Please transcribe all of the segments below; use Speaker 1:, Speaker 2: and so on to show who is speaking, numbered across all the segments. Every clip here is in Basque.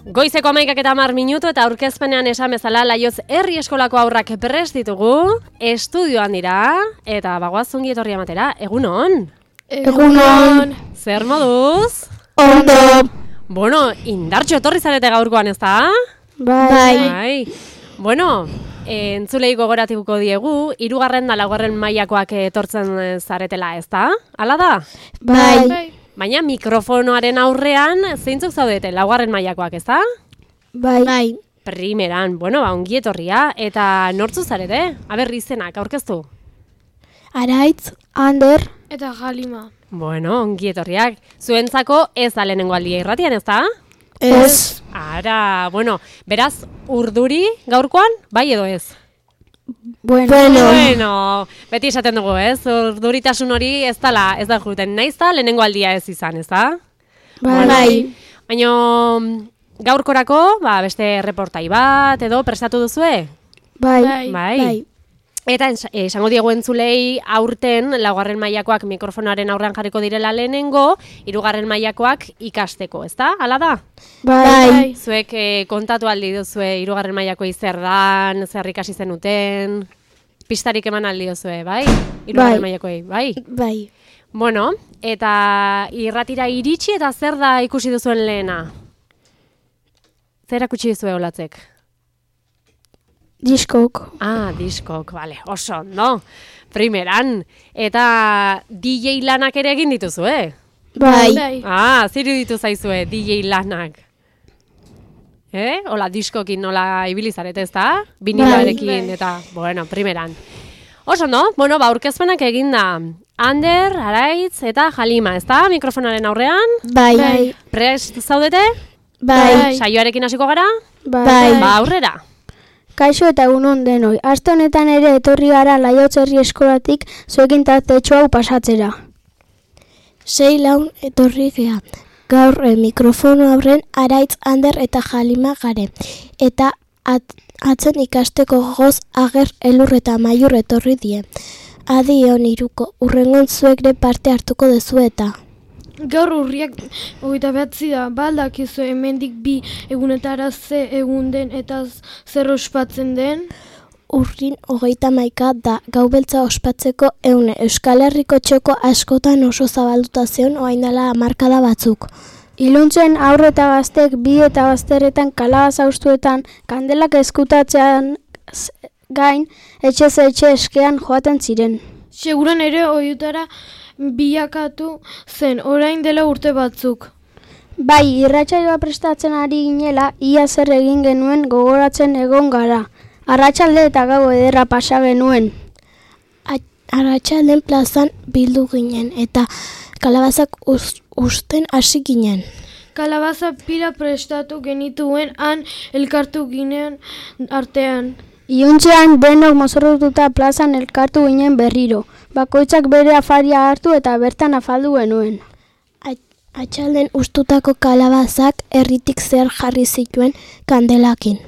Speaker 1: Goizeko 11:10 eta aurkezpenean esan bezala Laioz herri eskolako haurrak prest ditugu, estudioan dira, eta bagoaz ongi etorri ematera, egunon?
Speaker 2: Egunon!
Speaker 1: Zer moduz?
Speaker 2: Ondo!
Speaker 1: Bueno, indartxo etorri zarete gaurkoan, ez da?
Speaker 2: Bai.
Speaker 1: Bueno, entzulei gogoratuko diegu, 3. da 4. mailakoak etortzen zaretela, ez da? Hala da?
Speaker 2: Bai.
Speaker 1: Baina mikrofonoaren aurrean zeintzuk zaudete, 4. mailakoak, ez da?
Speaker 2: Bai.
Speaker 1: Primeran, bueno, ongi etorria, eta nortzu zarete? Aber, izenak, aurkeztu?
Speaker 2: Araitz, Ander,
Speaker 3: eta Halima.
Speaker 1: Bueno, ongi etorriak. Zuentzako ez da lehenengo aldia irratian, ez da?
Speaker 2: Ez.
Speaker 1: Ara, bueno, beraz, urduri gaurkoan, bai edo ez?
Speaker 2: Bueno.
Speaker 1: Beti esaten dugu, ez? Urduritasun hori ez da juten. Naiz da lehenengo aldia ez izan, ez da?
Speaker 2: Bai.
Speaker 1: Baina gaurkorako, beste reportai bat edo prestatu duzue?
Speaker 2: Bai.
Speaker 1: Eta esango diegu entzulei aurten 4. mailakoak mikrofonoaren aurrean jarriko direla lehenengo, 3. mailakoak ikasteko, ez da? Hala da?
Speaker 2: Bai.
Speaker 1: Zuek kontatu aldi duzue 3. mailakoi zer dan, zer ikasi zenuten, pistarik eman aldi duzue, bai? 3. mailakoei, bai?
Speaker 2: Bai.
Speaker 1: Bueno, eta irratira iritsi eta zer da ikusi duzuen lehena? Zer akutsi duzue olatzek?
Speaker 2: Diskok.
Speaker 1: Diskok, bale, oso, no? Primeran, eta DJ lanak ere egin dituzu,
Speaker 2: Bai.
Speaker 1: Ziru ditu zaizue, DJ lanak. Hola, diskokin nola ibilizarete, ez da? Biniloarekin, eta, bueno, primeran. Oso, no? Bueno, aurkezpenak egin da. Ander, Araitz eta Halima, ez da? Mikrofonaren aurrean?
Speaker 2: Bai.
Speaker 1: Prest zaudete?
Speaker 2: Bai.
Speaker 1: Saioarekin hasiko gara?
Speaker 2: Bai.
Speaker 1: Aurrera.
Speaker 2: Kaixo eta egunon denoi. Aste honetan ere etorri gara Laioz herri eskolatik zuekin tartetxo hau pasatzera. 6 laun etorri gea. Gaur mikrofono aurren Araitz, Ander eta Halima gare. Eta atzen ikasteko gogoz Ager, Elur eta Maiur etorri die. Adi hon iruko, urrengon zuekre parte hartuko dezu eta.
Speaker 3: Gaur urriak 29 da, baldakizu hemendik 2 egunetara ze egun den eta zer ospatzen den?
Speaker 2: Urrin 31 da, gau beltza ospatzeko eune Euskal Herriko txoko askotan oso zabalduta zeon oaindala hamarkada batzuk. Iluntzen aurre eta gaztek 2 eta bazterretan kalabaza ustuetan kandelak eskutatzean gain etxez etxe eskean joaten ziren.
Speaker 3: Seguran ere ohiutara bilakatu zen, orain dela urte batzuk.
Speaker 2: Bai, irratsaioa prestatzen ari ginela, ia zer egin genuen gogoratzen egon gara. Arratsalde eta gau ederra pasa genuen. Arratsalden plazan bildu ginen eta kalabazak usten hasi ginen.
Speaker 3: Kalabaza pila prestatu genituen han elkartu ginen artean.
Speaker 2: Iuntzean denok mozorrotuta plazan elkartu ginen berriro. Bakoitzak bere afaria hartu eta bertan afaldu genuen. Atxalden ustutako kalabazak herritik zer jarri zituen kandelakin.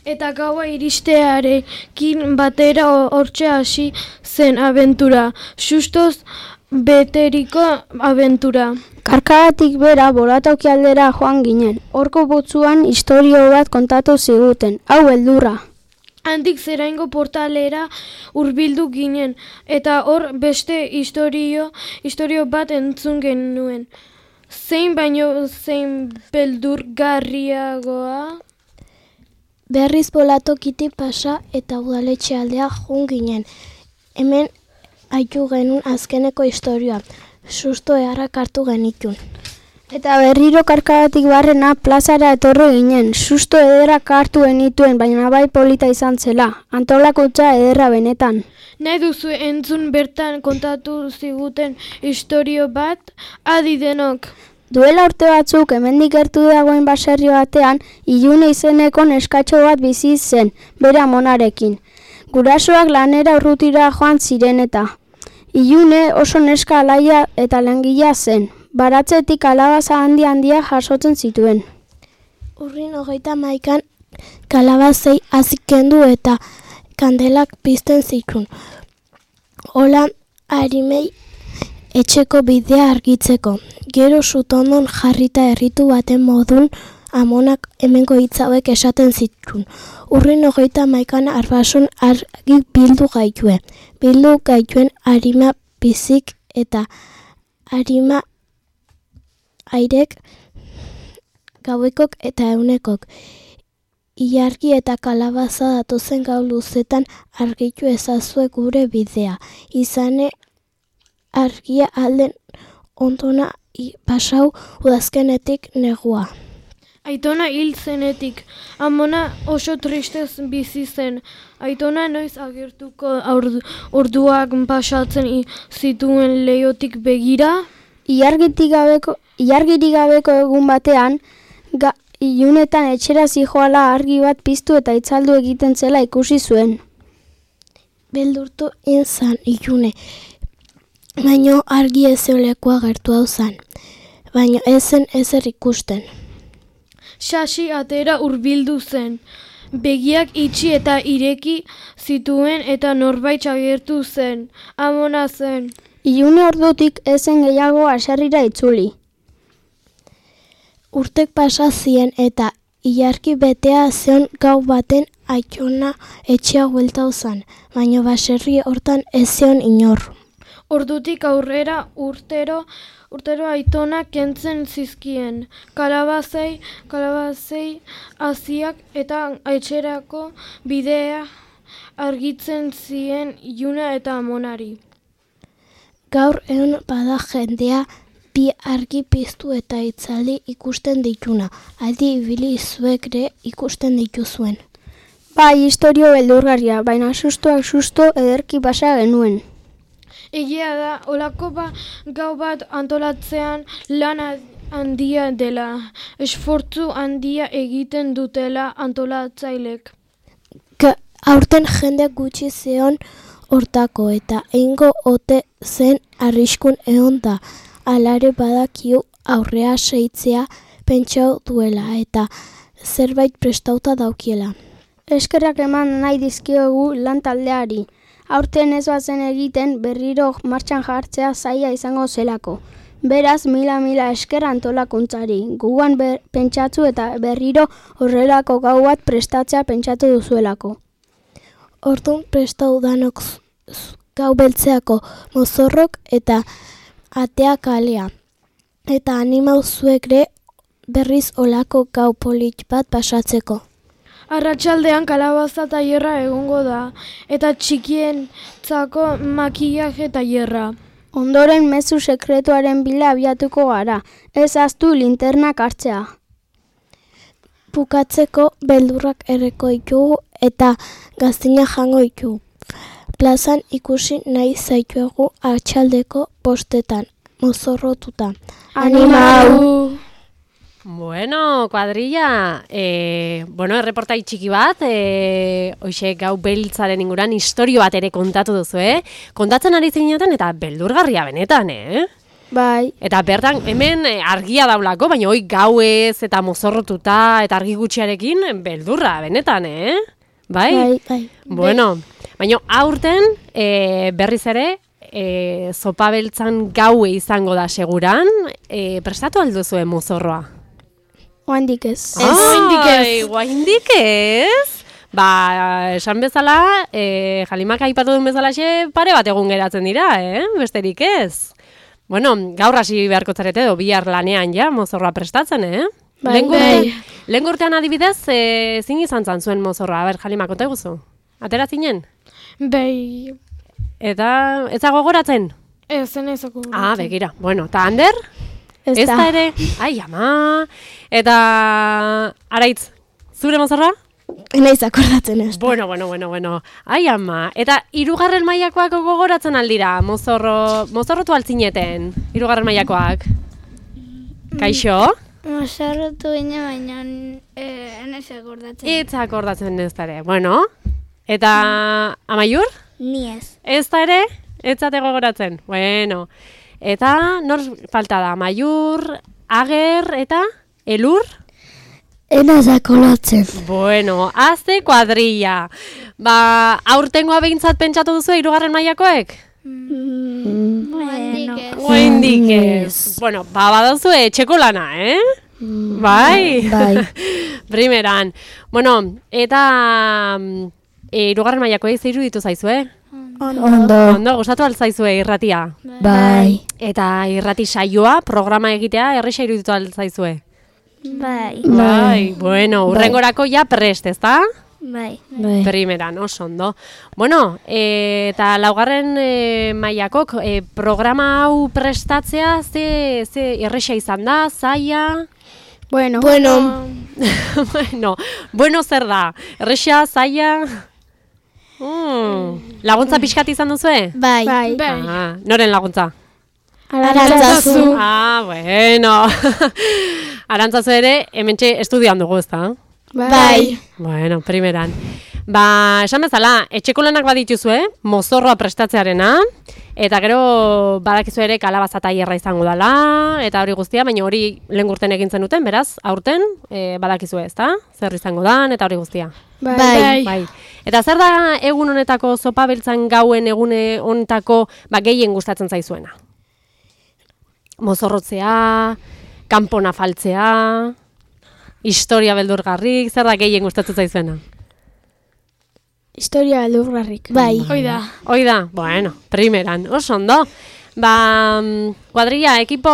Speaker 3: Eta gaua iristearekin batera hortxe hasi zen abentura. Sustoz beteriko abentura.
Speaker 2: Karkagatik bera bolatauki aldera joan ginen. Horko botzuan istorio bat kontatu ziguten. Hau beldurra.
Speaker 3: Handik zeraingo portalera hurbildu ginen, eta hor beste istorio bat entzun genuen. Zein baino zein beldurgarriagoa? Berriz bolatokitik pasa eta udaletxe aldea joan ginen. Hemen aitu genuen azkeneko istorioa. Susto eharrak hartu genitun. Eta berriro karkagatik barrena plazara etorri ginen. Susto ederrak hartu genituen, baina bai polita izan zela. Antolakotza ederra benetan. Nahi duzu entzun bertan kontatu ziguten istorio bat, adi denok.
Speaker 2: Duela urte batzuk hemendik gertu dagoen baserri batean, Ilune izeneko neskatxo bat bizi zen, bere amonarekin. Gurasoak lanera urrutira joan ziren eta. Ilune oso neska alaia eta langilea zen. Baratzetik kalabaza handia jasotzen zituen. Urrin 31 kalabazei azikendu eta kandelak pizten zituen. Hola arimei etxeko bidea argitzeko. Gero sutondon jarrita herritu baten modun
Speaker 3: amonak hemengo hitz hauek esaten zituen. Urrin 31 arbason argi bildu gaitue. Bildu gaituen arima bizik eta arima airek gauekok eta eunekok. Ilargi eta kalabaza datozen gau luzetan argitu ezazue gure bidea. Izane argia alden ondona pasau udazkenetik negua.
Speaker 4: Aitona hil zenetik, amona oso tristez bizi zen. Aitona noiz agertuko orduak pasatzen zituen leihotik begira?
Speaker 2: Ilargirik gabeko egun batean, ilunetan etxera zijoala argi bat piztu eta itzaldu egiten zela ikusi zuen.
Speaker 3: Beldurtu inzan ilune, baino argi ezeolekua gertu hau zan, baino ezen ezer ikusten.
Speaker 4: Xaxi atera hurbildu zen. Begiak itxi eta ireki zituen eta norbait agertu zen. Amona zen.
Speaker 2: Ilune ordutik ezen gehiago haserrira itzuli.
Speaker 3: Urtek pasa zien eta ilargi betea zeon gau baten Aitona etxea bueltau zan, baino baserri hortan ez zeon inor.
Speaker 4: Ordutik aurrera urtero Aitona kentzen zizkien. Kalabazei haziak eta etxerako bidea argitzen zien Iluna eta Amonari.
Speaker 3: Gaur egun bada jendea bi argi piztu eta itzaldi ikusten dituna. Aldi ibili zuekre ikusten dituzuen.
Speaker 2: Bai, historio beldurgarria, baina sustoak susto ederki pasa genuen.
Speaker 4: Egia da, olako gau bat antolatzean lan handia dela, esfortzu handia egiten dutela antolatzailek.
Speaker 3: Aurten jende gutxi zeon hortako eta eingo ote zen arriskun egon da. Alare badakiu aurrea seitzea pentsau duela eta zerbait prestauta daukiela.
Speaker 2: Eskerrak eman nahi dizkiogu lan taldeari. Aurten ez bazen egiten berriro martxan jartzea zaila izango zelako. Beraz, mila esker antolakuntzari. Gugan pentsatzu eta berriro horrelako gau bat prestatzea pentsatu duzuelako.
Speaker 3: Orduan prestau danok gau beltzeako mozorrok eta atea kalea. Eta animau zuekre berriz olako gau polit bat pasatzeko.
Speaker 4: Arratsaldean kalabaza tailerra egongo da, eta txikientzako makillaje tailerra.
Speaker 2: Ondoren mezu sekretuaren bila abiatuko gara, ez ahaztu linternak hartzea.
Speaker 3: Bukatzeko beldurrak erreko ditugu eta gaztina jango ditugu. Plazan ikusi nahi zaituegu arratsaldeko 5:00, mozorrotuta.
Speaker 2: Animau!
Speaker 1: Bueno, kuadrilla, erreportai txiki bat, hoxe gau beltzaren inguran historio bat ere kontatu duzu, Kontatzen ari zineten eta beldurgarria benetan,
Speaker 2: Bai.
Speaker 1: Eta bertan, hemen argia daulako, baina hoi gauez eta mozorrotuta eta argi gutxiarekin beldurra benetan, Bai?
Speaker 3: Bai.
Speaker 1: Bueno, baina aurten berriz ere, zopa beltzan gaue izango da seguran, prestatu alduzue mozorroa?
Speaker 2: Oaindik ez.
Speaker 1: Oaindik ez? Ba, esan bezala, Jalimak aipatu duen bezalaxe pare bat egun geratzen dira, besterik ez? Bueno, gaur hasi beharko zarete edo bihar lanean ja, mozorroa prestatzen, Lehen urtean adibidez, zin izan zuen mozorroa, Jalima, konta eguzu? Atera zinen?
Speaker 4: Bai.
Speaker 1: Eta, ez dago goratzen?
Speaker 4: Ez ezako.
Speaker 1: Begira. Bueno, eta Ander? Ez da ere? Ai, ama! Eta, Araitz, zure mozorroa?
Speaker 3: Naiz akordatzen ez.
Speaker 1: Bueno. Ai, ama! Eta, 3. mailakoak gogoratzen aldira, mozorrotu altzineten, 3. mailakoak? Kaixo?
Speaker 5: Mozorrotu baina enez akordatzen.
Speaker 1: Ez akordatzen ez da ere. Bueno, eta Amaiur?
Speaker 5: Ni ez.
Speaker 1: Ez da ere? Ez zate gogoratzen? Bueno, eta nor falta da? Amaiur, Ager eta Elur?
Speaker 3: Enaz akordatzen.
Speaker 1: Bueno, azte kuadrilla. Ba, aurtengoa behintzat pentsatu duzu 3. mailakoek?
Speaker 5: Oaindik ez.
Speaker 1: Oaindik ez. Bueno, ba, badauzu etxeko lana, Bai?
Speaker 2: Bai.
Speaker 1: Primeran. Bueno, eta hirugarren mailakoei ze iruditu zaizue? Ondo, gustatu altzaizue irratia?
Speaker 2: Bai.
Speaker 1: Eta irrati saioa, programa egitea, erresa iruditu altzaizue?
Speaker 5: Bai.
Speaker 1: Bai, bueno, urrengorako ja prest, ezta?
Speaker 5: Bai.
Speaker 1: Primeran, oso ondo. Bueno, eta laugarren mailakok, programa hau prestatzea, ze erresa izan da, zaila?
Speaker 2: Bueno.
Speaker 1: Bueno, zer da? Erresa, zaila? Laguntza pixkat izan duzue?
Speaker 3: Bai.
Speaker 1: Ah, noren laguntza?
Speaker 3: Arantzazu.
Speaker 1: Ah, bueno. Arantzazu ere, hementxe estudian dugu, ezta?
Speaker 3: Bai.
Speaker 1: Bueno, primeran. Esan bezala, etxeko lanak badituzue, mozorroa prestatzearena, eta gero badakizu ere kalabaza tailerra izango dela, eta hori guztia, baina hori lehen urten egin zenuten, beraz, aurten badakizue, ezta? Zer izango dan, eta hori guztia.
Speaker 3: Bai.
Speaker 1: Eta zer da egun honetako zopa beltzan gauen egune honetako gehien gustatzen zaizuena? Mozorrotzea, kanpona faltzea, historia beldurgarrik, zer da gehien gustatzen zaizuena?
Speaker 2: Historia beldurgarrik.
Speaker 3: Bai.
Speaker 1: Hoi da, bueno, primeran, oso ondo. Kuadrilla, ekipo,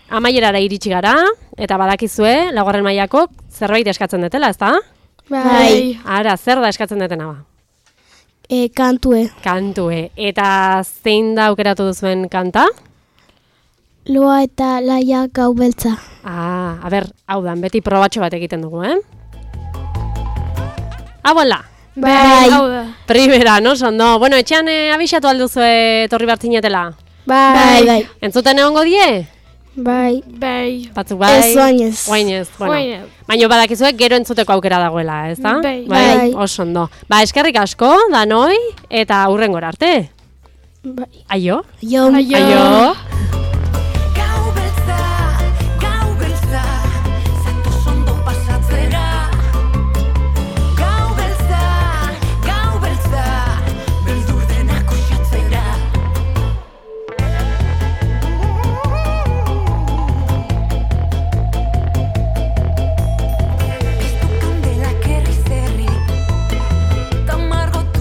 Speaker 1: amaierara iritsi gara, eta badakizue, laugarren mailako zerbait eskatzen dutela, ezta?
Speaker 3: Bai.
Speaker 1: Ara, zer da eskatzen dutena ba?
Speaker 3: Kantue.
Speaker 1: Kantue. Eta zein da aukeratu duzuen kanta?
Speaker 3: Loa eta laia gau beltza.
Speaker 1: A ber, hau da, beti probatxo bat egiten dugu, Abuela!
Speaker 3: Bai.
Speaker 1: Primera, no, ondo. Bueno, etxean abixatu alduzue etorri bartzinetela?
Speaker 3: Bai.
Speaker 1: Entzuten egongo die?
Speaker 2: Bai.
Speaker 1: Batzuk bai?
Speaker 3: Ez oinez.
Speaker 1: Oinez, bueno. Baina badakizuek gero entzuteko aukera dagoela, ez da?
Speaker 3: Bai.
Speaker 1: Oso ondo. Eskerrik asko, danoi, eta hurrengora arte.
Speaker 2: Bai.
Speaker 1: Aio?
Speaker 3: Jo.
Speaker 1: Aio.